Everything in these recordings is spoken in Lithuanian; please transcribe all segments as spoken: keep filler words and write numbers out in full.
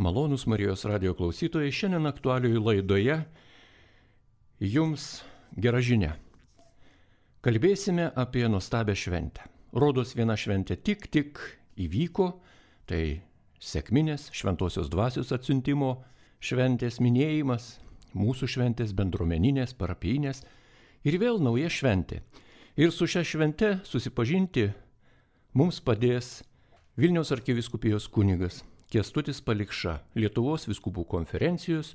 Malonūs Marijos radijo klausytojai, šiandien aktualiųjų laidoje jums gera žinia. Kalbėsime apie nuostabią šventę. Rodos viena šventė tik tik įvyko, tai sekminės šventosios dvasios atsiuntimo šventės minėjimas, mūsų šventės bendruomeninės, parapijinės ir vėl nauja šventė. Ir su šia švente susipažinti mums padės Vilniaus arkivyskupijos kunigas Kęstutis Palikša, Lietuvos vyskupų konferencijos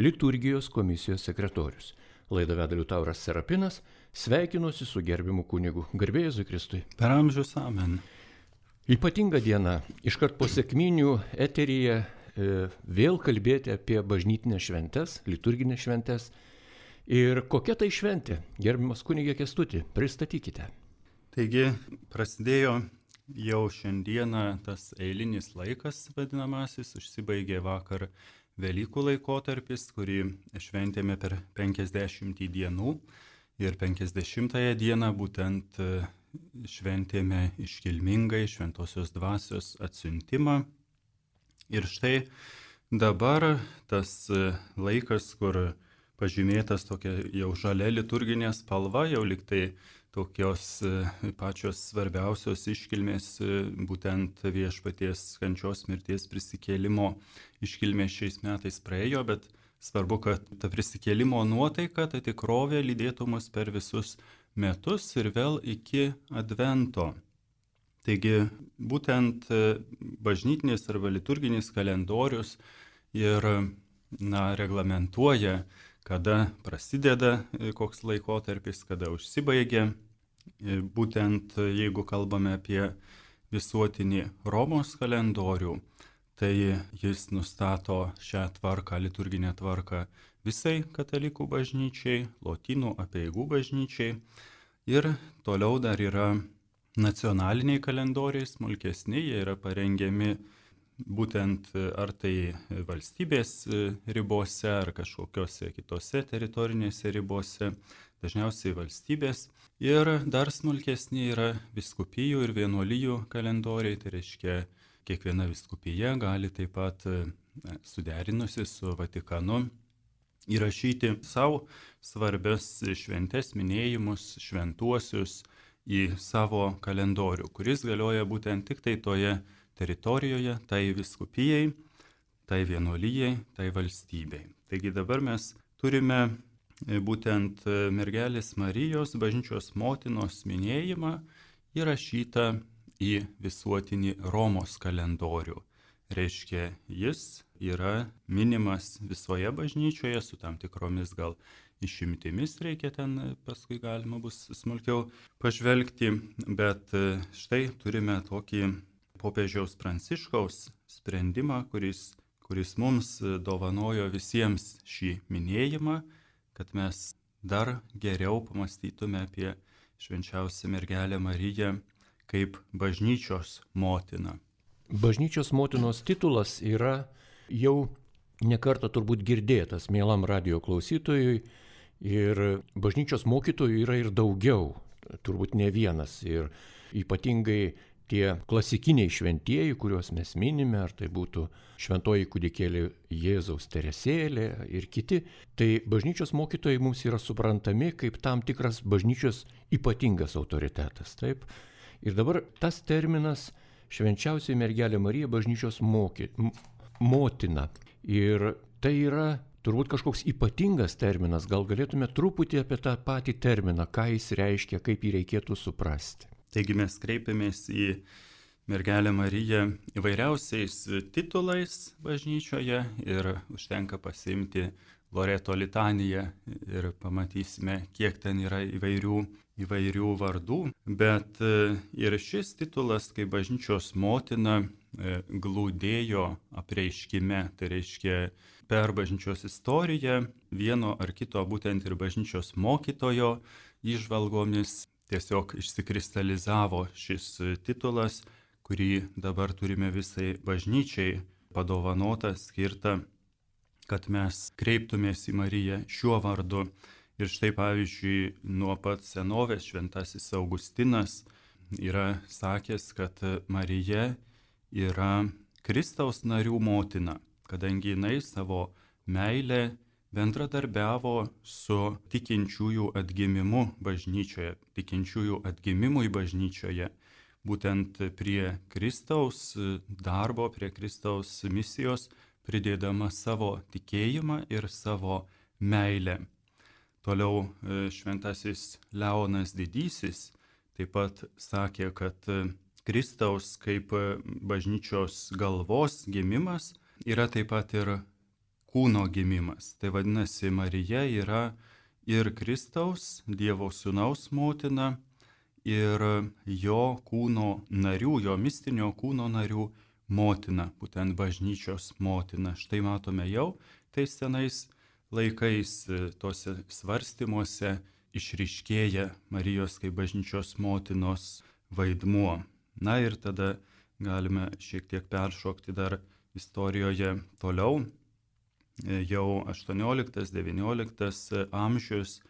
liturgijos komisijos sekretorius. Laidą veda Liutauras Serapinas, sveikinuosi su gerbiamu kunigu. Garbė Jėzui Kristui. Per amžius amen. Ypatinga diena, iškart po sekminių eteryje e, vėl kalbėti apie bažnytinės šventes, liturginės šventes. Ir kokia tai šventė? Gerbiamas kunigė Kęstuti, pristatykite. Taigi prasidėjo jau šiandieną tas eilinis laikas vadinamasis, užsibaigė vakar Velykų laikotarpis, kurį šventėme per penkiasdešimt dienų ir penkiasdešimtąją dieną būtent šventėme iškilmingai šventosios dvasios atsiuntimą. Ir štai dabar tas laikas, kur pažymėtas tokia jau žalia liturginė spalva, jau liktai tokios pačios svarbiausios iškilmės, būtent viešpaties kančios mirties prisikėlimo iškilmės šiais metais praėjo, bet svarbu, kad ta prisikėlimo nuotaika, ta tikrovė lydėtų mus per visus metus ir vėl iki advento. Taigi būtent bažnytinis arba liturginis kalendorius ir na, reglamentuoja, kada prasideda koks laikotarpis, kada užsibaigia. Būtent jeigu kalbame apie visuotinį Romos kalendorių, tai jis nustato šią tvarką, liturginę tvarką visai katalikų bažnyčiai, lotynų apeigų bažnyčiai. Ir toliau dar yra nacionaliniai kalendoriai, smulkesni, jie yra parengiami būtent ar tai valstybės ribose, ar kažkokiose kitose teritorinėse ribose, dažniausiai valstybės. Ir dar smulkesni yra vyskupijų ir vienuolijų kalendoriai, tai reiškia, kiekviena vyskupija gali taip pat suderinusi su Vatikanu įrašyti savo svarbias šventes, minėjimus, šventuosius į savo kalendorių, kuris galioja būtent tik tai toje teritorijoje, tai vyskupijai, tai vienuolijai, tai valstybei. Taigi dabar mes turime būtent mergelės Marijos bažnyčios motinos minėjimą įrašytą į visuotinį Romos kalendorių. Reiškia, jis yra minimas visoje bažnyčioje su tam tikromis gal išimtimis, reikia ten paskui galima bus smulkiau pažvelgti, bet štai turime tokį popiežiaus Pranciškaus sprendimą, kuris, kuris mums dovanojo visiems šį minėjimą, kad mes dar geriau pamastytume apie švenčiausią mergelę Mariją kaip bažnyčios motiną. Bažnyčios motinos titulas yra jau nekartą turbūt girdėtas mielam radijo klausytojui ir bažnyčios mokytojų yra ir daugiau, turbūt ne vienas. Ir ypatingai tie klasikiniai šventieji, kuriuos mes minime, ar tai būtų šventoji kūdikėlė Jėzaus Teresėlė ir kiti, tai bažnyčios mokytojai mums yra suprantami kaip tam tikras bažnyčios ypatingas autoritetas. Taip? Ir dabar tas terminas švenčiausioji mergelė Marija bažnyčios moky, m, motina. Ir tai yra turbūt kažkoks ypatingas terminas. Gal galėtume truputį apie tą patį terminą, ką jis reiškia, kaip jį reikėtų suprasti. Taigi mes kreipiamės į mergelę Mariją įvairiausiais titulais bažnyčioje ir užtenka pasiimti Loreto litaniją ir pamatysime, kiek ten yra įvairių, įvairių vardų. Bet ir šis titulas, kaip bažnyčios motina, glūdėjo apreiškime, tai reiškia per bažnyčios istoriją vieno ar kito būtent ir bažnyčios mokytojo įžvalgomis. Tiesiog išsikristalizavo šis titulas, kurį dabar turime visai bažnyčiai padovanotą, skirtą, kad mes kreiptumės į Mariją šiuo vardu. Ir štai pavyzdžiui, nuo pat senovės šventasis Augustinas yra sakęs, kad Marija yra Kristaus narių motina. kadangi jinai savo meilę bendradarbiavo su tikinčiųjų atgimimu bažnyčioje, tikinčiųjų atgimimui bažnyčioje, būtent prie Kristaus darbo, prie Kristaus misijos, pridėdama savo tikėjimą ir savo meilę. Toliau šventasis Leonas Didysis taip pat sakė, kad Kristaus kaip bažnyčios galvos gimimas yra taip pat ir kūno gimimas. Tai vadinasi, Marija yra ir Kristaus, Dievo Sūnaus motina, ir jo kūno narių, jo mistinio kūno narių motina, būtent bažnyčios motina. Štai matome jau tais senais laikais tose svarstymuose išryškėja Marijos kaip bažnyčios motinos vaidmuo. Na ir tada galime šiek tiek peršokti dar istorijoje toliau. Jau aštuonioliktas devynioliktas amžius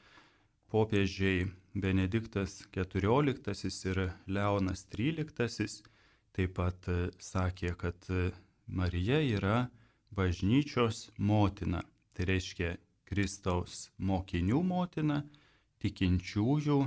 popiežiai Benediktas keturioliktasis ir Leonas tryliktasis taip pat sakė, kad Marija yra bažnyčios motina. Tai reiškia Kristaus mokinių motina, tikinčiųjų,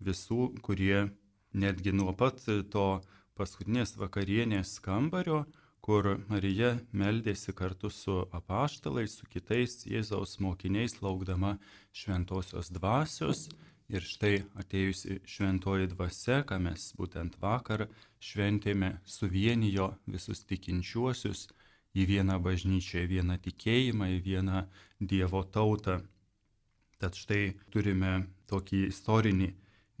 visų, kurie netgi nuo pat to paskutinės vakarienės kambario, kur Marija meldėsi kartu su apaštalais, su kitais Jėzaus mokiniais, laukdama šventosios dvasios. Ir štai atėjusi šventoji dvasia, ką mes būtent vakar šventėme, suvienijo visus tikinčiuosius į vieną bažnyčią, į vieną tikėjimą, į vieną Dievo tautą. Tad štai turime tokį istorinį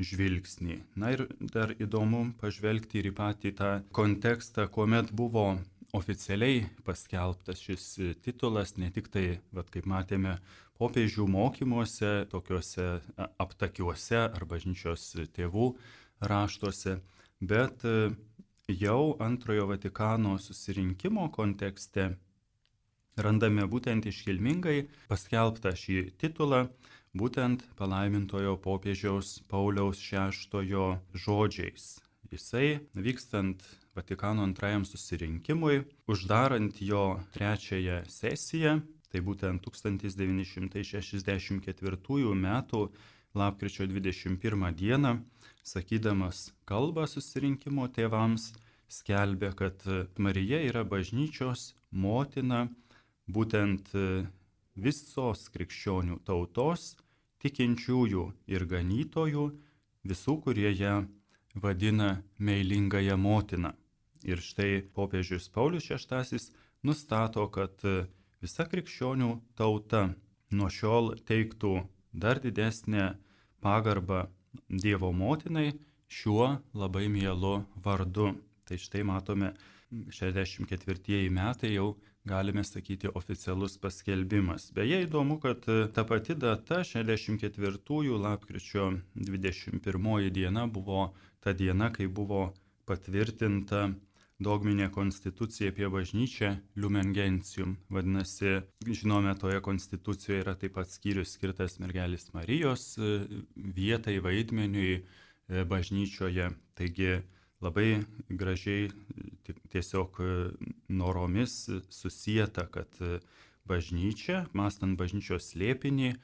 žvilgsnį. Na ir dar įdomu pažvelgti ir į patį tą kontekstą, kuomet buvo oficialiai paskelbtas šis titulas, ne tik tai, vat, kaip matėme, popiežių mokymuose, tokiuose aptakiuose ar bažnyčios tėvų raštuose, bet jau antrojo Vatikano susirinkimo kontekste randame būtent iškilmingai paskelbtą šį titulą, būtent palaimintojo popiežiaus Pauliaus šeštojo žodžiais. Jisai, vykstant Vatikano antrajam susirinkimui, uždarant jo trečiąją sesiją, tai būtent tūkstantis devyni šimtai šešiasdešimt ketvirtųjų metų lapkričio dvidešimt pirmą dieną, sakydamas kalbą susirinkimo tėvams, skelbė, kad Marija yra bažnyčios motina, būtent visos krikščionių tautos, tikinčiųjų ir ganytojų, visų, kurie ją vadina meilingąją motiną. Ir štai popiežius Paulius šeštasis nustato, kad visa krikščionių tauta nuo šiol teiktų dar didesnę pagarbą Dievo motinai šiuo labai mielu vardu. Tai štai matome, šešiasdešimt ketvirtieji metai jau galime sakyti oficialus paskelbimas. Beje, įdomu, kad ta pati data, šešiasdešimt ketvirtųjų lapkričio dvidešimt pirmoji diena, buvo ta diena, kai buvo patvirtinta dogminė konstitucija apie bažnyčią Lumen Gentium. Vadinasi, žinome, toje konstitucijoje yra taip pat skyrius skirtas mergelės Marijos vietai, vaidmeniui bažnyčioje. Taigi labai gražiai tiesiog noromis susieta, kad bažnyčia, mąstant bažnyčios slėpinį,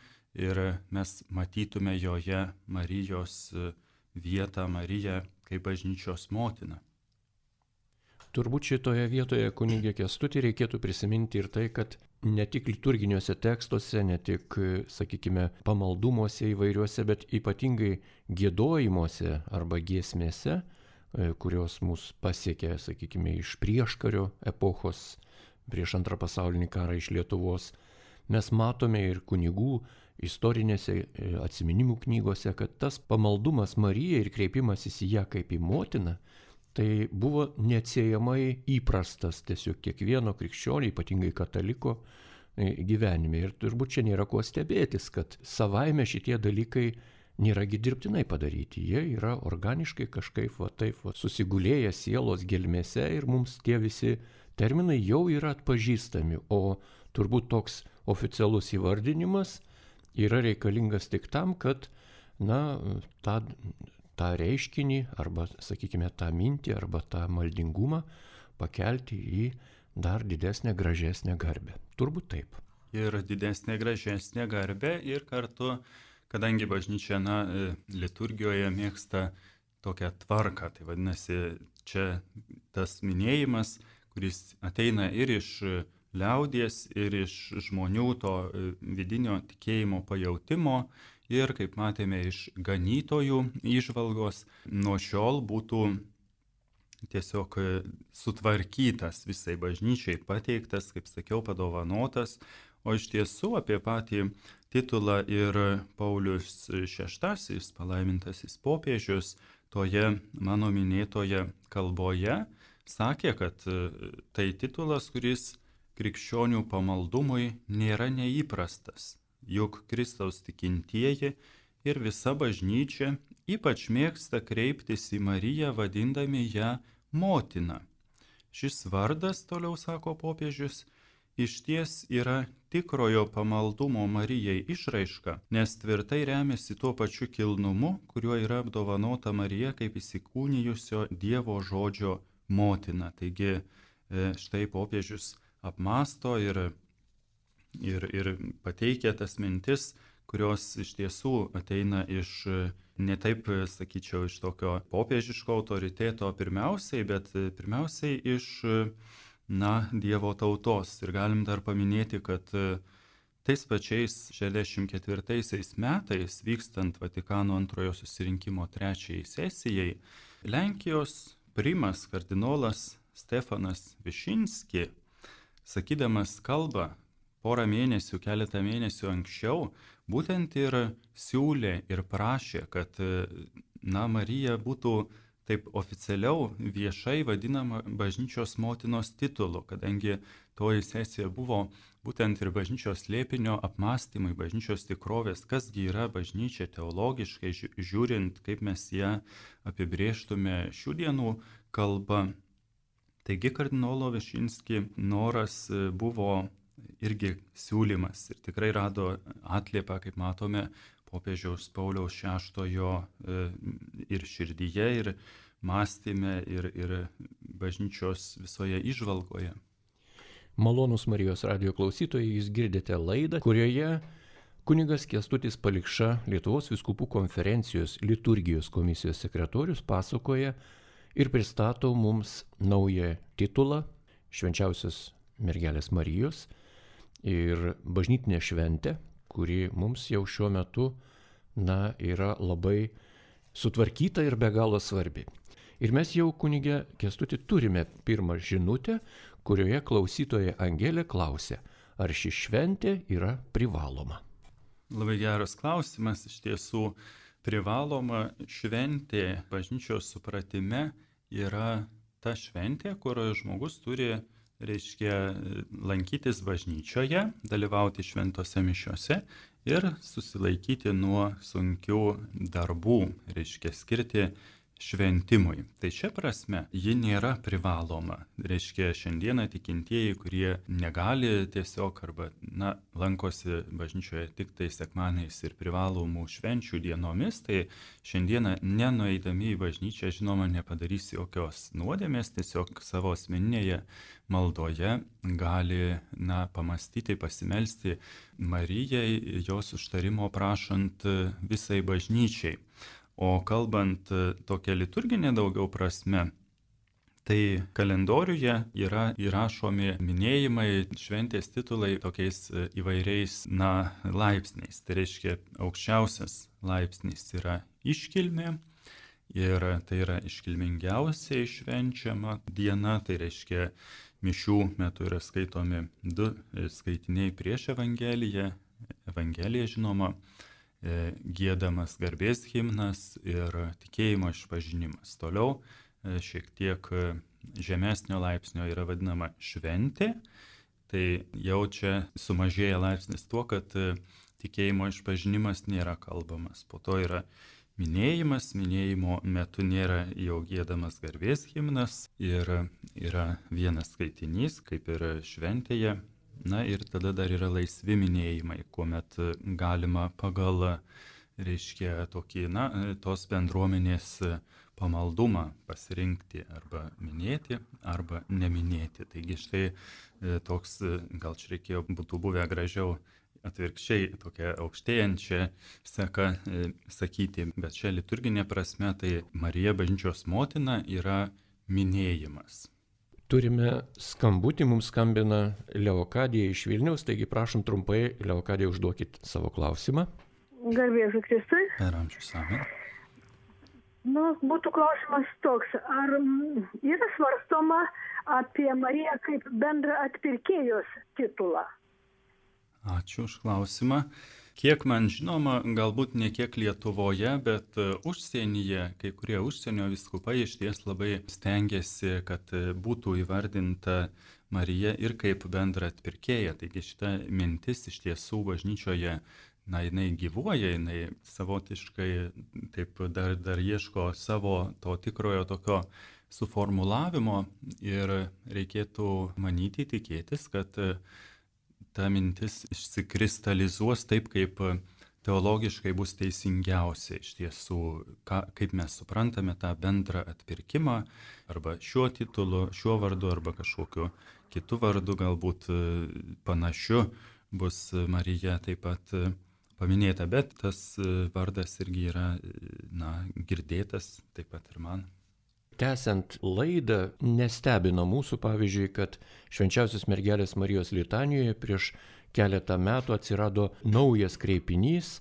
ir mes matytume joje Marijos vietą, Mariją kaip bažnyčios motiną. Turbūt šitoje vietoje, kunigė Kęstuti, reikėtų prisiminti ir tai, kad ne tik liturginiuose tekstuose, ne tik, sakykime, pamaldumuose įvairiuose, bet ypatingai giedojimuose arba giesmėse, kurios mus pasiekė, sakykime, iš prieškario epochos, prieš antrą pasaulinį karą iš Lietuvos, mes matome ir kunigų istorinėse atsiminimų knygose, kad tas pamaldumas Marijai ir kreipimasis į ją kaip į motiną, tai buvo neatsiejamai įprastas tiesiog kiekvieno krikščionio, ypatingai kataliko gyvenime. Ir turbūt čia nėra kuo stebėtis, kad savaime šitie dalykai nėragi dirbtinai padaryti. Jie yra organiškai kažkaip va, taip va, susigulėję sielos gelmėse ir mums tie visi terminai jau yra atpažįstami. O turbūt toks oficialus įvardinimas yra reikalingas tik tam, kad na, tą tą reiškinį arba, sakykime, tą mintį arba tą maldingumą pakelti į dar didesnę, gražesnę garbę. Turbūt taip. Ir didesnė, gražesnė garbė ir kartu, kadangi bažnyčia na, liturgijoje mėgsta tokią tvarką, tai vadinasi, čia tas minėjimas, kuris ateina ir iš liaudies, ir iš žmonių to vidinio tikėjimo pajautimo, ir, kaip matėme, iš ganytojų įžvalgos, nuo šiol būtų tiesiog sutvarkytas visai bažnyčiai, pateiktas, kaip sakiau, padovanotas. O iš tiesų apie patį titulą ir Paulius šeštasis, palaimintasis popiežius, toje mano minėtoje kalboje sakė, kad tai titulas, kuris krikščionių pamaldumui nėra neįprastas. Juk Kristaus tikintieji ir visa bažnyčia ypač mėgsta kreiptis į Mariją, vadindami ją motina. Šis vardas, toliau sako popiežius, išties yra tikrojo pamaldumo Marijai išraiška, nes tvirtai remiasi tuo pačiu kilnumu, kuriuo yra apdovanota Marija kaip įsikūnijusio Dievo žodžio motina. Taigi štai popiežius apmąsto ir, ir, ir pateikia tas mintis, kurios iš tiesų ateina iš, ne taip, sakyčiau, iš tokio popiežiško autoriteto pirmiausiai, bet pirmiausiai iš na, Dievo tautos. Ir galim dar paminėti, kad tais pačiais šešiasdešimt ketvirtaisiais metais, vykstant Vatikano antrojo susirinkimo trečiajai sesijai, Lenkijos primas kardinolas Stefanas Višinski, sakydamas kalbą porą mėnesių, keletą mėnesių anksčiau, būtent ir siūlė ir prašė, kad na, Marija būtų taip oficialiau viešai vadinama bažnyčios motinos titulu, kadangi toji sesija buvo būtent ir bažnyčios slėpinio apmąstymai, bažnyčios tikrovės, kasgi yra bažnyčia teologiškai žiūrint, kaip mes ją apibrėžtume šių dienų kalba. Taigi kardinolo Višinski noras buvo irgi siūlymas ir tikrai rado atliepą, kaip matome, popiežiaus Pauliaus šeštojo ir širdyje, ir mąstyme, ir, ir bažnyčios visoje įžvalgoje. Malonūs Marijos radijo klausytojai, jūs girdite laidą, kurioje kunigas Kęstutis Palikša, Lietuvos vyskupų konferencijos liturgijos komisijos sekretorius, pasakoja ir pristato mums naują titulą Švenčiausios mergelės Marijos ir bažnytinę šventę, kuri mums jau šiuo metu na, yra labai sutvarkyta ir be galo svarbi. Ir mes jau, kunige Kęstuti, turime pirmą žinutę, kurioje klausytoja Angelė klausia, ar ši šventė yra privaloma. Labai geras klausimas, iš tiesų privaloma šventė bažnyčios supratime yra ta šventė, kur žmogus turi, reiškia, lankytis bažnyčioje, dalyvauti šventose mišiose ir susilaikyti nuo sunkių darbų, reiškia, skirti šventimui. Tai šia prasme ji nėra privaloma. Reiškia, šiandieną tikintieji, kurie negali tiesiog arba na, lankosi bažnyčioje tik tai sekmadieniais ir privalomų švenčių dienomis, tai šiandieną nenueidami į bažnyčią, žinoma, nepadarys jokios nuodėmės, tiesiog savo asmeninėje maldoje gali na, pamastyti, pasimelsti Marijai, jos užtarimo prašant visai bažnyčiai. O kalbant tokia liturginė daugiau prasme, tai kalendoriuje yra įrašomi minėjimai, šventės titulai tokiais įvairiais na, laipsniais. Tai reiškia, aukščiausias laipsnis yra iškilmė ir tai yra iškilmingiausiai švenčiama diena. Tai reiškia, mišių metu yra skaitomi du skaitiniai prieš Evangeliją, Evangelija žinoma, giedamas garbės himnas ir tikėjimo išpažinimas. Toliau šiek tiek žemesnio laipsnio yra vadinama šventė, tai jau čia sumažėja laipsnis tuo, kad tikėjimo išpažinimas nėra kalbamas. Po to yra minėjimas, minėjimo metu nėra jau giedamas garbės himnas ir yra vienas skaitinys, kaip ir šventėje. Na ir tada dar yra laisvi minėjimai, kuomet galima pagal reiškia tokį, na, tos bendruomenės pamaldumą pasirinkti arba minėti, arba neminėti. Taigi štai toks, gal čia reikėjo, būtų buvę gražiau atvirkščiai, tokia aukštėjančia seka sakyti, bet čia liturginė prasme tai Marija bažnyčios motina yra minėjimas. Turime skambutį, mums skambina Leokadija iš Vilniaus, taigi prašom trumpai, Leokadija, užduokit savo klausimą. Garbėsiu Kristui. Per amžius, amen. Nu, būtų klausimas toks, ar yra svarstoma apie Mariją kaip bendra atpirkėjos titulą? Ačiū už klausimą. Kiek man žinoma, galbūt ne kiek Lietuvoje, bet užsienyje, kai kurie užsienio vyskupai išties labai stengiasi, kad būtų įvardinta Marija ir kaip bendra atpirkėja. Taigi šita mintis iš tiesų bažnyčioje, na, jinai gyvuoja, jinai savotiškai taip dar, dar ieško savo to tikrojo tokio suformulavimo ir reikėtų manyti, tikėtis, kad ta mintis išsikristalizuos taip, kaip teologiškai bus teisingiausia iš tiesų, ką, kaip mes suprantame tą bendrą atpirkimą, arba šiuo titulu, šiuo vardu, arba kažkokiu kitu vardu, galbūt panašiu bus Marija taip pat paminėta, bet tas vardas irgi yra, na, girdėtas taip pat ir man. Tęsiant laidą, nestebina mūsų, pavyzdžiui, kad Švenčiausios mergelės Marijos litanijoje prieš keletą metų atsirado naujas kreipinys,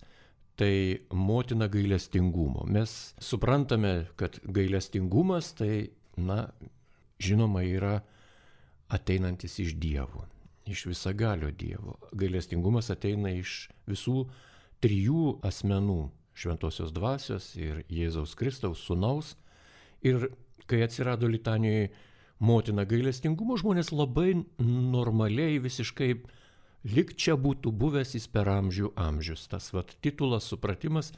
tai motina gailestingumo. Mes suprantame, kad gailestingumas tai, na, žinoma, yra ateinantis iš Dievo, iš visagalio Dievo. Gailestingumas ateina iš visų trijų asmenų - Šventosios Dvasios ir Jėzaus Kristaus Sūnaus. Ir kai atsirado litanijoje motina gailestingumo, žmonės labai normaliai visiškai lyg čia būtų buvęs jis per amžių amžius. Tas vat titulas, supratimas.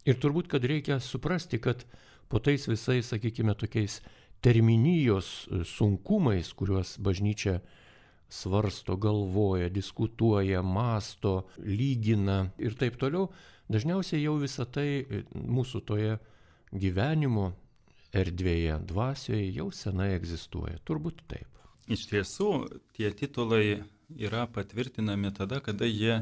Ir turbūt, kad reikia suprasti, kad po tais visais, sakykime, tokiais terminijos sunkumais, kuriuos bažnyčia svarsto, galvoja, diskutuoja, masto, lygina ir taip toliau, dažniausiai jau visą tai mūsų toje gyvenimo erdvėje, dvasioje jau senai egzistuoja. Turbūt taip. Iš tiesų, tie titulai yra patvirtinami tada, kada jie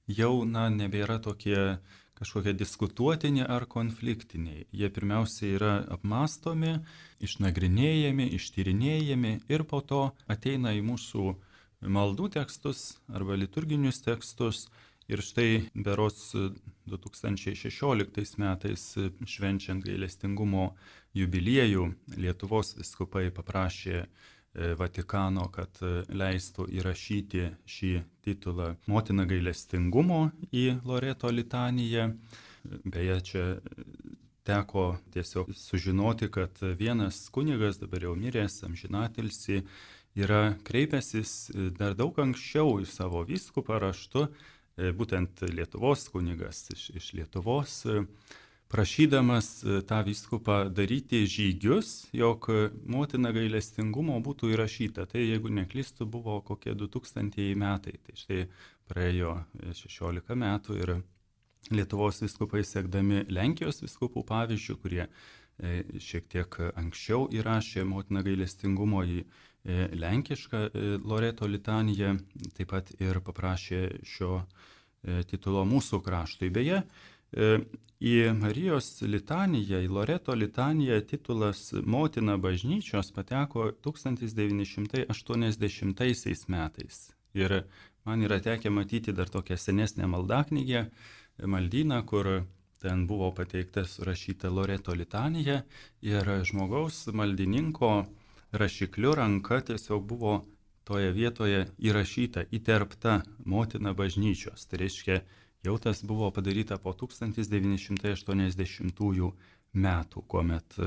jau, na, nebėra tokie kažkokie diskutuotini ar konfliktiniai. Jie pirmiausia yra apmastomi, išnagrinėjami, ištyrinėjami ir po to ateina į mūsų maldų tekstus arba liturginius tekstus. Ir štai berods du tūkstančiai šešioliktais metais švenčiant gailestingumo jubiliejų Lietuvos vyskupai paprašė Vatikano, kad leistų įrašyti šį titulą Motina gailestingumo į Loreto litaniją. Beje, čia teko tiesiog sužinoti, kad vienas kunigas, dabar jau miręs, amžinatilsį, yra kreipęsis dar daug anksčiau į savo vyskupą raštu, būtent Lietuvos kunigas iš, iš Lietuvos, prašydamas tą vyskupą daryti žygius, jog motina gailestingumo būtų įrašyta. Tai jeigu neklystu, buvo kokie du tūkstantieji metai. Tai štai praėjo šešiolika metų ir Lietuvos vyskupai, sekdami Lenkijos vyskupų pavyzdžių, kurie šiek tiek anksčiau įrašė motina gailestingumo į lenkišką Loreto litaniją, taip pat ir paprašė šio titulo mūsų kraštui. Beje, į Marijos litaniją, į Loreto litaniją titulas Motina bažnyčios pateko tūkstantis devyni šimtai aštuoniasdešimtaisiais metais. Ir man yra tekę matyti dar tokią senesnę maldaknygę, maldyną, kur ten buvo pateikta surašyta Loreto litanija ir žmogaus maldininko rašikliu ranka tiesiog buvo toje vietoje įrašyta, įterpta Motina bažnyčios. Tai reiškia, jau tas buvo padaryta po tūkstantis devyni šimtai aštuoniasdešimtųjų metų, kuomet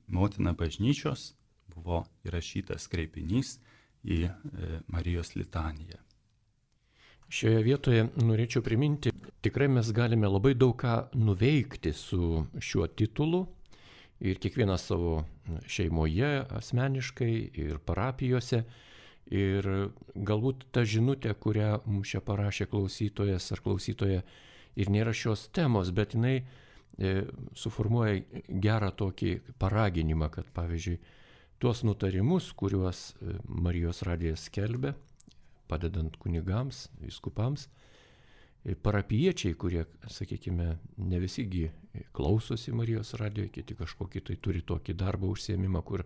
Motina bažnyčios buvo įrašytas kreipinys į Marijos litaniją. Šioje vietoje norėčiau priminti, tikrai mes galime labai daug ką nuveikti su šiuo titulu. Ir kiekvienas savo šeimoje, asmeniškai ir parapijose. Ir galbūt ta žinutė, kurią mums čia parašė klausytojas ar klausytoja, ir nėra šios temos, bet jinai e, suformuoja gerą tokį paraginimą, kad pavyzdžiui, tuos nutarimus, kuriuos Marijos radijas skelbia, padedant kunigams, vyskupams, parapiečiai, kurie, sakykime, ne visigi klausosi Marijos radijo, kiti kažkokį tai turi tokį darbą užsiėmimą, kur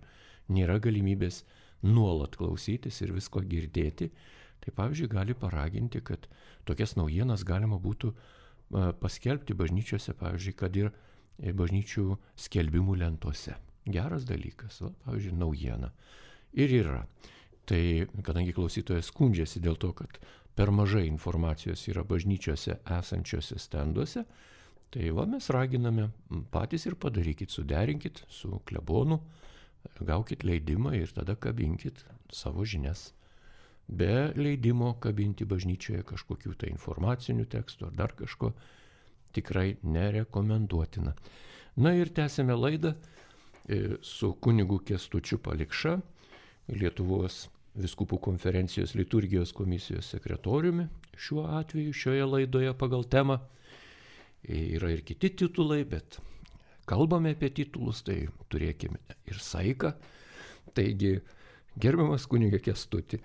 nėra galimybės nuolat klausytis ir visko girdėti, tai pavyzdžiui gali paraginti, kad tokias naujienas galima būtų paskelbti bažnyčiose, pavyzdžiui, kad ir bažnyčių skelbimų lentose. Geras dalykas, va, pavyzdžiui, naujiena. Ir yra. Tai kadangi klausytojas skundžiasi dėl to, kad per mažai informacijos yra bažnyčiose esančiose stenduose, tai va mes raginame patys ir padarykit, suderinkit su klebonu, gaukit leidimą ir tada kabinkit savo žinias. Be leidimo kabinti bažnyčioje kažkokių tai informacinių tekstų ar dar kažko tikrai nerekomenduotina. Na ir tęsime laidą su kunigu Kęstučiu Palikša, Lietuvos Vyskupų konferencijos liturgijos komisijos sekretoriumi šiuo atveju, šioje laidoje pagal temą. Yra ir kiti titulai, bet kalbame apie titulus, tai turėkime ir saiką. Taigi, gerbiamas kuniga Kęstuti,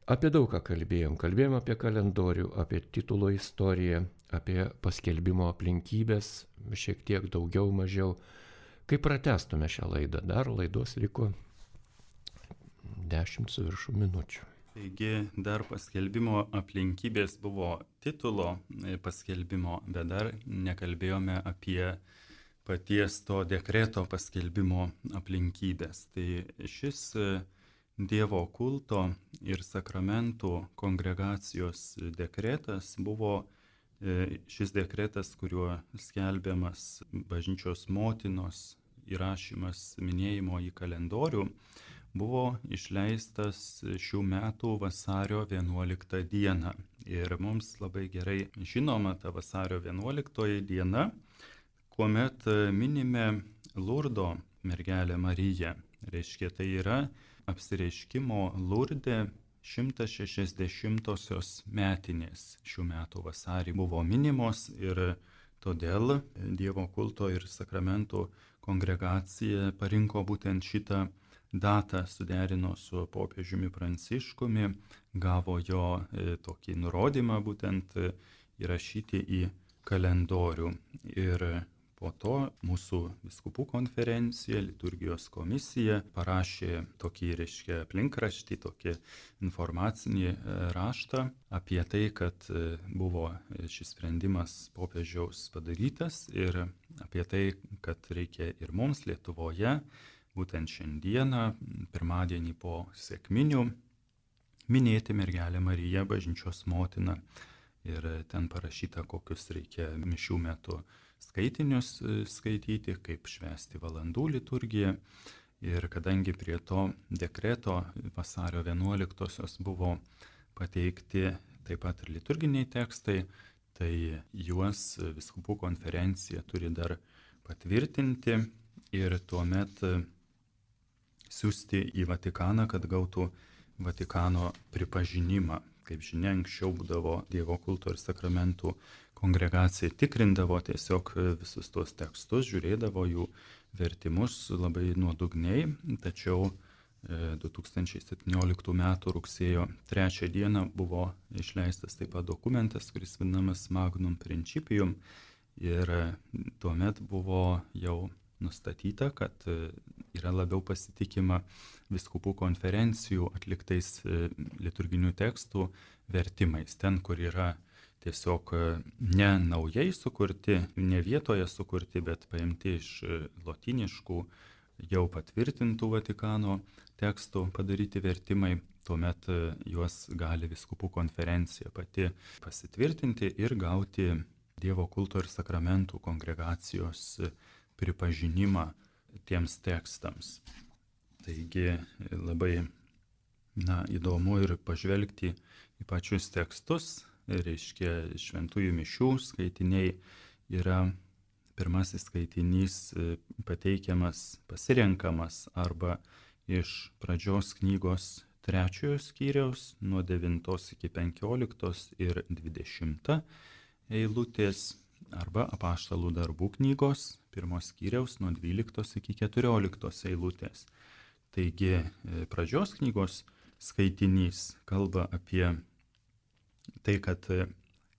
apie daug ką kalbėjom. Kalbėjom apie kalendorių, apie titulo istoriją, apie paskelbimo aplinkybės, šiek tiek daugiau, mažiau. Kaip pratestume šią laidą, dar laidos liko dešimt su viršų minučių. Taigi dar paskelbimo aplinkybės buvo titulo paskelbimo, bet dar nekalbėjome apie paties to dekreto paskelbimo aplinkybės. Tai šis Dievo kulto ir sakramentų kongregacijos dekretas buvo šis dekretas, kuriuo skelbiamas bažnyčios motinos įrašymas minėjimo į kalendorių, buvo išleistas šių metų vasario vienuoliktą dieną. Ir mums labai gerai žinoma ta vasario vienuoliktoji diena, kuomet minime Lurdo mergelę Mariją. Reiškia, tai yra apsireiškimo Lurde šimtas šešiasdešimtosios metinės šių metų vasarį buvo minimos ir todėl Dievo kulto ir sakramentų kongregacija parinko būtent šitą datą, suderino su popiežiumi Pranciškumi, gavo jo e, tokį nurodymą būtent e, įrašyti į kalendorių. Ir po to mūsų vyskupų konferencija, liturgijos komisija parašė tokį, reiškia, aplinkraštį, tokį informacinį e, raštą apie tai, kad e, buvo šis sprendimas popiežiaus padarytas ir apie tai, kad reikia ir mums Lietuvoje būtent šiandieną, pirmadienį po sekminių, minėti mergelę Mariją, bažnyčios motiną. Ir ten parašyta, kokius reikia mišių metu skaitinius skaityti, kaip švęsti valandų liturgiją. Ir kadangi prie to dekreto vasario vienuoliktosios buvo pateikti taip pat ir liturginiai tekstai, tai juos vyskupų konferencija turi dar patvirtinti ir tuomet siųsti į Vatikaną, kad gautų Vatikano pripažinimą. Kaip žinia, anksčiau būdavo Dievo kulto ir sakramentų kongregacija tikrindavo tiesiog visus tuos tekstus, žiūrėdavo jų vertimus labai nuodugniai, tačiau du tūkstančiai septynioliktų metų rugsėjo trečią dieną buvo išleistas taip pat dokumentas, kuris vadinamas Magnum Principium, ir tuomet buvo jau nustatyta, kad yra labiau pasitikima vyskupų konferencijų atliktais liturginių tekstų vertimais. Ten, kur yra tiesiog ne naujai sukurti, ne vietoje sukurti, bet paimti iš lotyniškų jau patvirtintų Vatikano tekstų padaryti vertimai, tuomet juos gali vyskupų konferencija pati pasitvirtinti ir gauti Dievo kulto ir sakramentų kongregacijos pripažinimą tiems tekstams. Taigi labai na, įdomu ir pažvelgti į pačius tekstus, reiškia šventųjų mišių skaitiniai yra pirmasis skaitinys pateikiamas, pasirenkamas arba iš pradžios knygos trečiojo skyriaus nuo devintos iki penkioliktos ir dvidešimta eilutės, arba Apaštalų darbų knygos pirmos skyriaus nuo dvyliktos iki keturioliktos eilutės. Taigi pradžios knygos skaitinys kalba apie tai, kad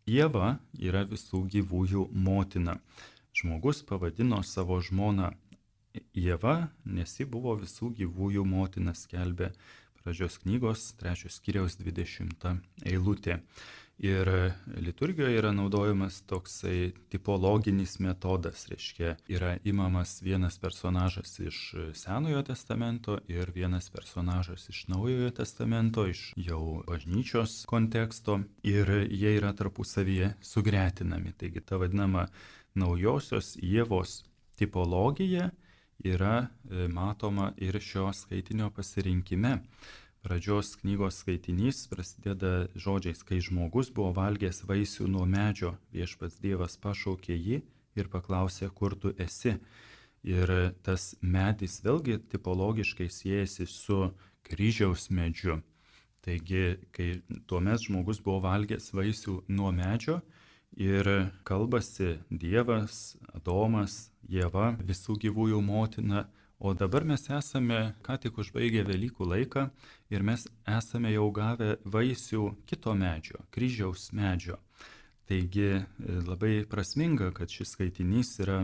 Ieva yra visų gyvųjų motina. Žmogus pavadino savo žmoną Ieva, nes ji buvo visų gyvųjų motina, skelbė pradžios knygos trečios skyriaus dvidešimta eilutė. Ir liturgijoje yra naudojamas toksai tipologinis metodas, reiškia, yra imamas vienas personažas iš Senojo testamento ir vienas personažas iš Naujojo testamento, iš jau bažnyčios konteksto, ir jie yra tarpusavyje sugretinami. Taigi ta vadinama naujosios Ievos tipologija yra matoma ir šio skaitinio pasirinkime. Pradžios knygos skaitinys prasideda žodžiais: kai žmogus buvo valgęs vaisių nuo medžio, viešpats Dievas pašaukė jį ir paklausė, kur tu esi. Ir tas medis vėlgi tipologiškai siejasi su kryžiaus medžiu. Taigi, kai tuomet žmogus buvo valgęs vaisių nuo medžio ir kalbasi Dievas, Adomas, Ieva, visų gyvųjų motina. O dabar mes esame ką tik užbaigę Velykų laiką ir mes esame jau gavę vaisių kito medžio, kryžiaus medžio. Taigi labai prasminga, kad šis skaitinys yra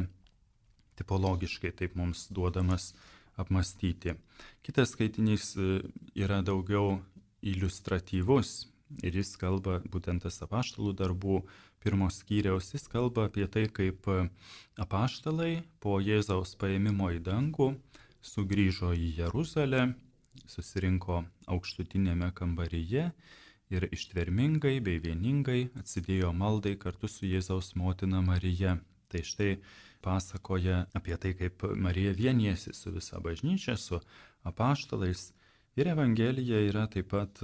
tipologiškai taip mums duodamas apmastyti. Kitas skaitinys yra daugiau iliustratyvus ir jis kalba, būtent tas Apaštalų darbų pirmos skyriaus, jis kalba apie tai, kaip apaštalai po Jėzaus paėmimo į dangų sugrįžo į Jeruzalę, susirinko aukštutinėme kambaryje ir ištvermingai bei vieningai atsidėjo maldai kartu su Jėzaus motina Marija. Tai štai pasakoja apie tai, kaip Marija vienijasi su visa bažnyčia, su apaštalais. Ir Evangelija yra taip pat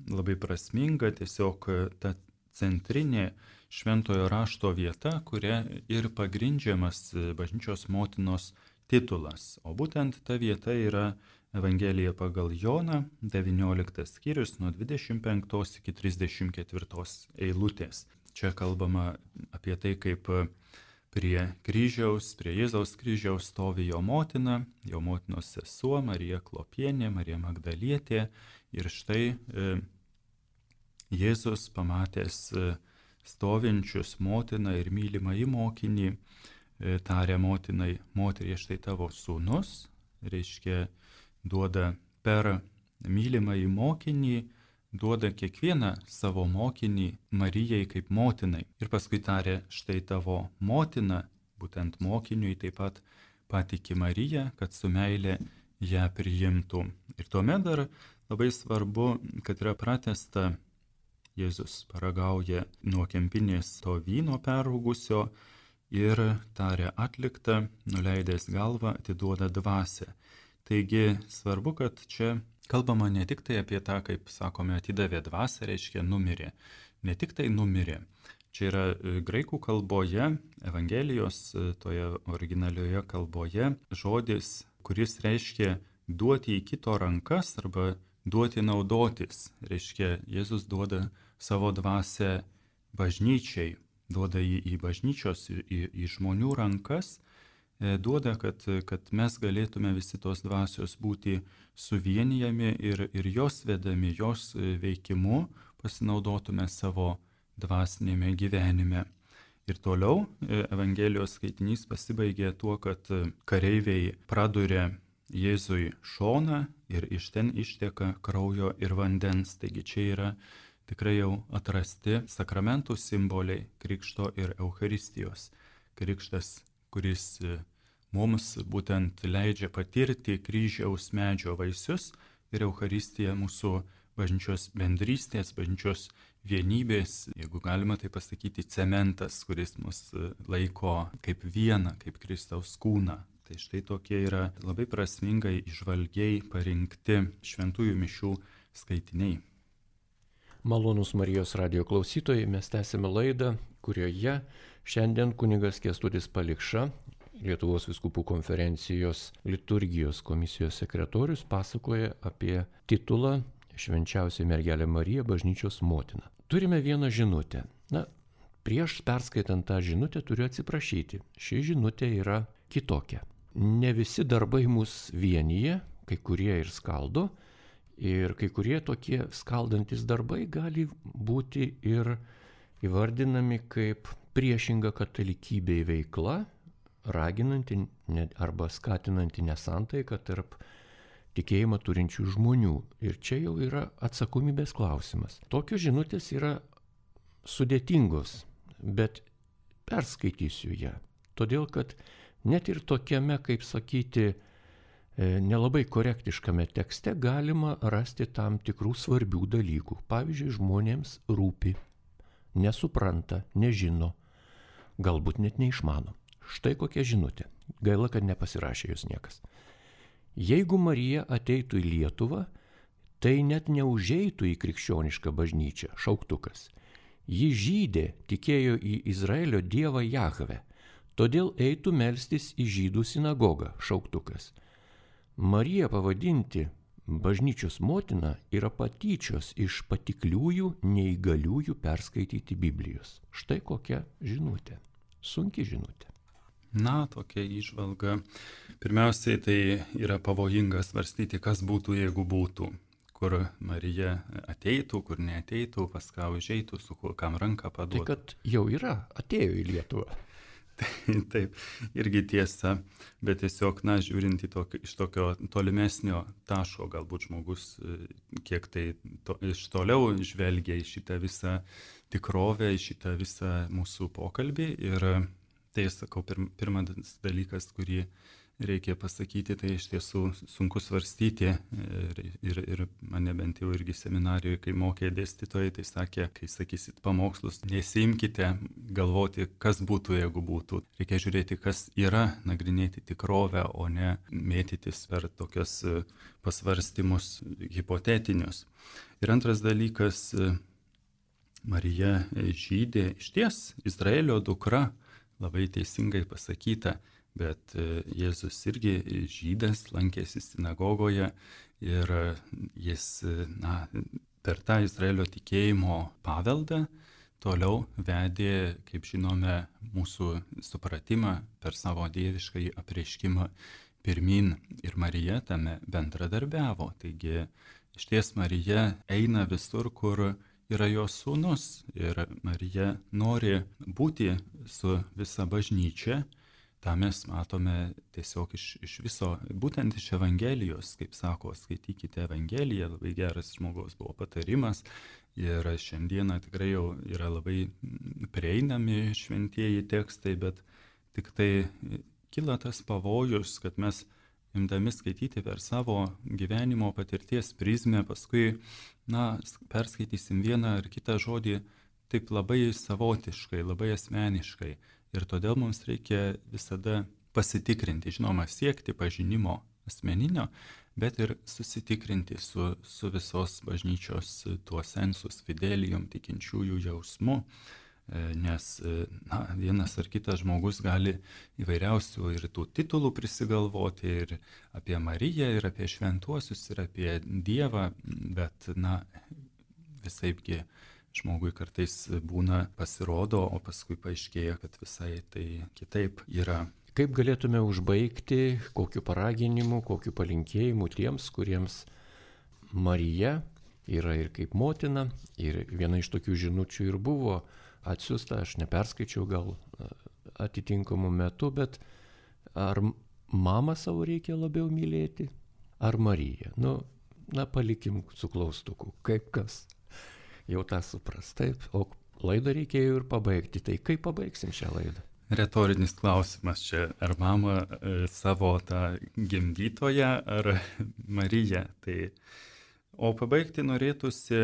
labai prasminga, tiesiog ta centrinė šventojo rašto vieta, kuria ir pagrindžiamas bažnyčios motinos titulas. O būtent ta vieta yra Evangelija pagal Joną, devynioliktas skyrius nuo dvidešimt penktos iki trisdešimt ketvirtos eilutės. Čia kalbama apie tai, kaip prie kryžiaus, prie Jėzaus kryžiaus stovi jo motina, jo motinos sesuo Marija Klopienė, Marija Magdalietė. Ir štai e, Jėzus, pamatęs stovinčius motiną ir mylimąjį mokinį, tarė motinai: moterie, štai tavo sūnus, reiškia, duoda per mylimąjį mokinį, duoda kiekvieną savo mokinį Marijai kaip motinai. Ir paskui tarė: štai tavo motina, būtent mokiniui taip pat patiki Mariją, kad su meile ją priimtų. Ir tuomet dar labai svarbu, kad yra pratęsta: Jėzus paragauja nuo kempinės to vyno perrūgusio ir tarė: atlikta, nuleidęs galvą atiduoda dvasią. Taigi svarbu, kad čia kalbama ne tik tai apie tą, kaip sakome, atidavė dvasią, reiškia numirė. Ne tik tai numirė. Čia yra graikų kalboje, Evangelijos toje originalioje kalboje žodis, kuris reiškia duoti į kito rankas arba duoti naudotis. Reiškia, Jėzus duoda savo dvasią bažnyčiai, duoda jį į bažnyčios, į, į žmonių rankas, duoda, kad, kad mes galėtume visi tos dvasios būti suvienijami ir, ir jos vedami, jos veikimu pasinaudotume savo dvasinėme gyvenime. Ir toliau Evangelijos skaitinys pasibaigė tuo, kad kareiviai praduria Jėzui šoną ir iš ten išteka kraujo ir vandens. Taigi čia yra tikrai jau atrasti sakramentų simboliai krikšto ir Eucharistijos. Krikštas, kuris mums būtent leidžia patirti kryžiaus medžio vaisius, ir Eucharistija mūsų bažnyčios bendrystės, bažnyčios vienybės, jeigu galima tai pasakyti, cementas, kuris mus laiko kaip vieną, kaip Kristaus kūną. Tai štai tokie yra labai prasmingai, įžvalgiai parinkti šventųjų mišių skaitiniai. Malonūs Marijos radijo klausytojai, mes tęsime laidą, kurioje šiandien kunigas Kęstutis Palikša Lietuvos vyskupų konferencijos liturgijos komisijos sekretorius pasakoja apie titulą Švenčiausioji mergelė Marija, bažnyčios motina. Turime vieną žinutę. Na, prieš perskaitant tą žinutę turiu atsiprašyti. Ši žinutė yra kitokia. Ne visi darbai mus vienyje, kai kurie ir skaldo, ir kai kurie tokie skaldantis darbai gali būti ir įvardinami kaip priešinga katalikybei veikla, raginanti arba skatinanti nesantaiką tarp tikėjimą turinčių žmonių. Ir čia jau yra atsakomybės klausimas. Tokios žinutės yra sudėtingos, bet perskaitysiu ją. Todėl, kad net ir tokiame, kaip sakyti, nelabai korektiškame tekste galima rasti tam tikrų svarbių dalykų. Pavyzdžiui, žmonėms rūpi, nesupranta, nežino, galbūt net neišmano. Štai kokia žinutė. Gaila, kad nepasirašė jos niekas. Jeigu Marija ateitų į Lietuvą, tai net neužeitų į krikščionišką bažnyčią, šauktukas. Ji žydė, tikėjo į Izraelio dievą Jahvę, todėl eitų melstis į žydų sinagogą, šauktukas. Mariją pavadinti bažnyčios motina yra patyčios iš patikliųjų, neįgaliųjų perskaityti Biblijos. Štai kokia žinutė. Sunki žinutė. Na, tokia įžvalga. Pirmiausiai tai yra pavojinga svarstyti, kas būtų, jeigu būtų. Kur Marija ateitų, kur neateitų, pas ką užeitų, su kam ranką paduotų. Tai kad jau yra, atėjo į Lietuvą. Taip, irgi tiesa, bet tiesiog, na, žiūrint į tokio, iš tokio tolimesnio taško, galbūt žmogus kiek tai to, iš toliau žvelgia į šitą visą tikrovę, į šitą visą mūsų pokalbį. Ir tai, sakau, pirm, pirmas dalykas, kurį reikia pasakyti, tai iš tiesų sunku svarstyti. Ir, ir, ir mane bent jau irgi seminarijoje, kai mokė dėstytojai, tai sakė, kai sakysit pamokslus, nesimkite galvoti, kas būtų, jeigu būtų. Reikia žiūrėti, kas yra, nagrinėti tikrovę, o ne mėtytis per tokius pasvarstymus hipotetinius. Ir antras dalykas, Marija žydė, išties Izraelio dukra, labai teisingai pasakyta, bet Jėzus irgi žydas, lankėsi sinagogoje ir jis, na, per tą Izraelio tikėjimo paveldą toliau vedė, kaip žinome, mūsų supratimą per savo dieviškąjį apreiškimą pirmin, ir Marija tame bendradarbiavo. Taigi, išties Marija eina visur, kur yra jos sūnus, ir Marija nori būti su visa bažnyčia. Ta mes matome tiesiog iš, iš viso, būtent iš Evangelijos, kaip sako, skaitykite Evangeliją, labai geras žmogaus buvo patarimas, ir šiandieną tikrai jau yra labai prieinami šventieji tekstai, bet tik tai kyla tas pavojus, kad mes imdami skaityti per savo gyvenimo patirties prizmę, paskui, na, perskaitysim vieną ar kitą žodį taip labai savotiškai, labai asmeniškai. Ir todėl mums reikia visada pasitikrinti, žinoma, siekti pažinimo asmeninio, bet ir susitikrinti su, su visos bažnyčios tuo sensus fidelijum, tikinčiųjų jausmu, nes, na, vienas ar kitas žmogus gali įvairiausių ir tų titulų prisigalvoti, ir apie Mariją, ir apie šventuosius, ir apie Dievą, bet, na, visaipgi žmogui kartais būna pasirodo, o paskui paaiškėja, kad visai tai kitaip yra. Kaip galėtume užbaigti, kokiu paraginimu, kokiu palinkėjimu tiems, kuriems Marija yra ir kaip motina, ir viena iš tokių žinučių ir buvo atsiųsta, aš neperskaičiau gal atitinkamų metų, bet ar mamą savo reikia labiau mylėti, ar Mariją? Nu, na, palikim su klaustuku, kaip kas. Jau tą supras, taip, o laidą reikėjo ir pabaigti, tai kaip pabaigsim šią laidą? Retorinis klausimas čia, ar mama e, savo tą gimdytoją, ar Mariją. Tai, o pabaigti norėtųsi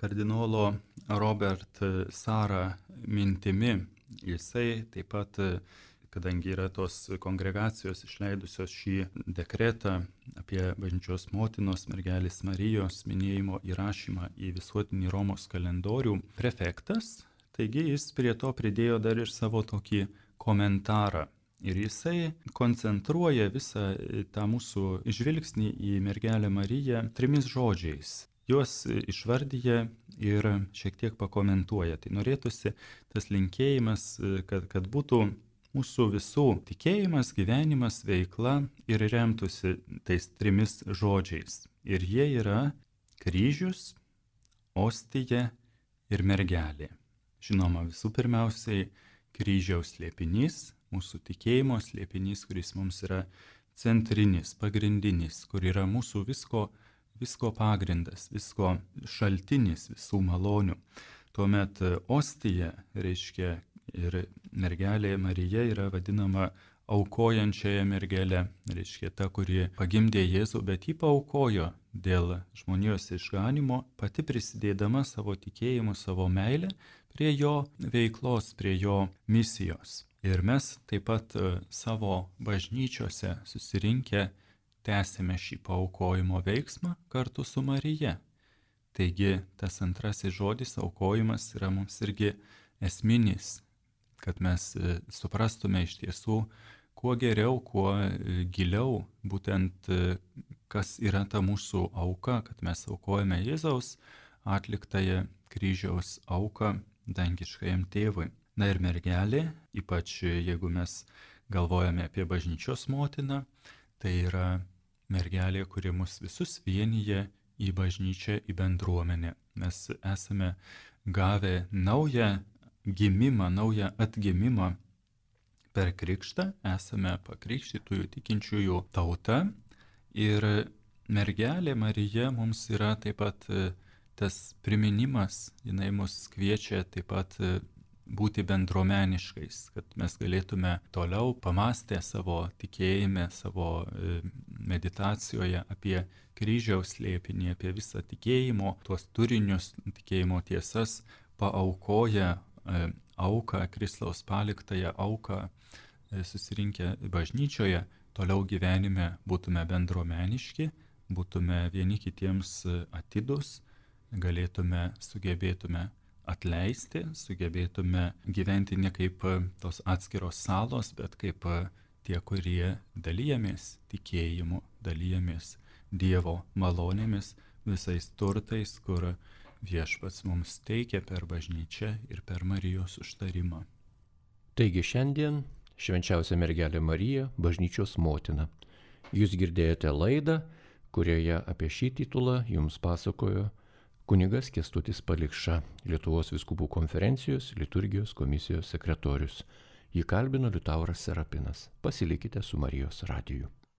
kardinolo Robert Sara mintimi. Jisai taip pat, kadangi yra tos kongregacijos išleidusios šį dekretą apie bažnyčios motinos mergelės Marijos minėjimo įrašymą į visuotinį Romos kalendorių, prefektas, taigi jis prie to pridėjo dar ir savo tokį komentarą. Ir jisai koncentruoja visą tą mūsų žvilgsnį į mergelę Mariją trimis žodžiais. Juos išvardyja ir šiek tiek pakomentuoja. Tai norėtųsi tas linkėjimas, kad, kad būtų mūsų visų tikėjimas, gyvenimas, veikla ir remtųsi tais trimis žodžiais. Ir jie yra kryžius, ostija ir mergelė. Žinoma, visų pirmiausiai kryžiaus slėpinys, mūsų tikėjimo slėpinys, kuris mums yra centrinis, pagrindinis, kur yra mūsų visko, visko pagrindas, visko šaltinis, visų malonių. Tuomet ostija reiškia ir mergelė Marija yra vadinama aukojančiaja mergelė, reiškia ta, kuri pagimdė Jėzų, bet jį paaukojo dėl žmonijos išganimo, pati prisidėdama savo tikėjimu, savo meilę prie jo veiklos, prie jo misijos. Ir mes taip pat savo bažnyčiose susirinkę tęsime šį paaukojimo veiksmą kartu su Marija. Taigi tas antrasis žodis aukojimas yra mums irgi esminis, kad mes suprastume iš tiesų kuo geriau, kuo giliau būtent kas yra ta mūsų auka, kad mes aukojame Jėzaus atliktąją kryžiaus auką dangiškajam tėvui. Na ir mergelė, ypač jeigu mes galvojame apie bažnyčios motiną, tai yra mergelė, kuri mus visus vienyje į bažnyčią, į bendruomenę. Mes esame gavę naują gimimą, naują atgimimą per krikštą, esame pakrikštytųjų tikinčiųjų tauta ir mergelė Marija mums yra taip pat tas priminimas, jinai mus kviečia taip pat būti bendruomeniškais, kad mes galėtume toliau pamastę savo tikėjime, savo meditacijoje apie kryžiaus slėpinį, apie visą tikėjimo, tuos turinius, tikėjimo tiesas, paaukoja auką, Kristaus paliktąją auką, susirinkę bažnyčioje, toliau gyvenime būtume bendruomeniški, būtume vieni kitiems atidus, galėtume, sugebėtume atleisti, sugebėtume gyventi ne kaip tos atskiros salos, bet kaip tie, kurie dalyjamės tikėjimu, dalyjamės Dievo malonėmis, visais turtais, kur Viešpats mums teikia per bažnyčią ir per Marijos užtarimą. Taigi šiandien švenčiausia mergelė Marija, bažnyčios motina. Jūs girdėjote laidą, kurioje apie šį titulą jums pasakojo kunigas Kęstutis Palikša, Lietuvos vyskupų konferencijos liturgijos komisijos sekretorius. Jį kalbino Liutauras Serapinas. Pasilikite su Marijos radiju.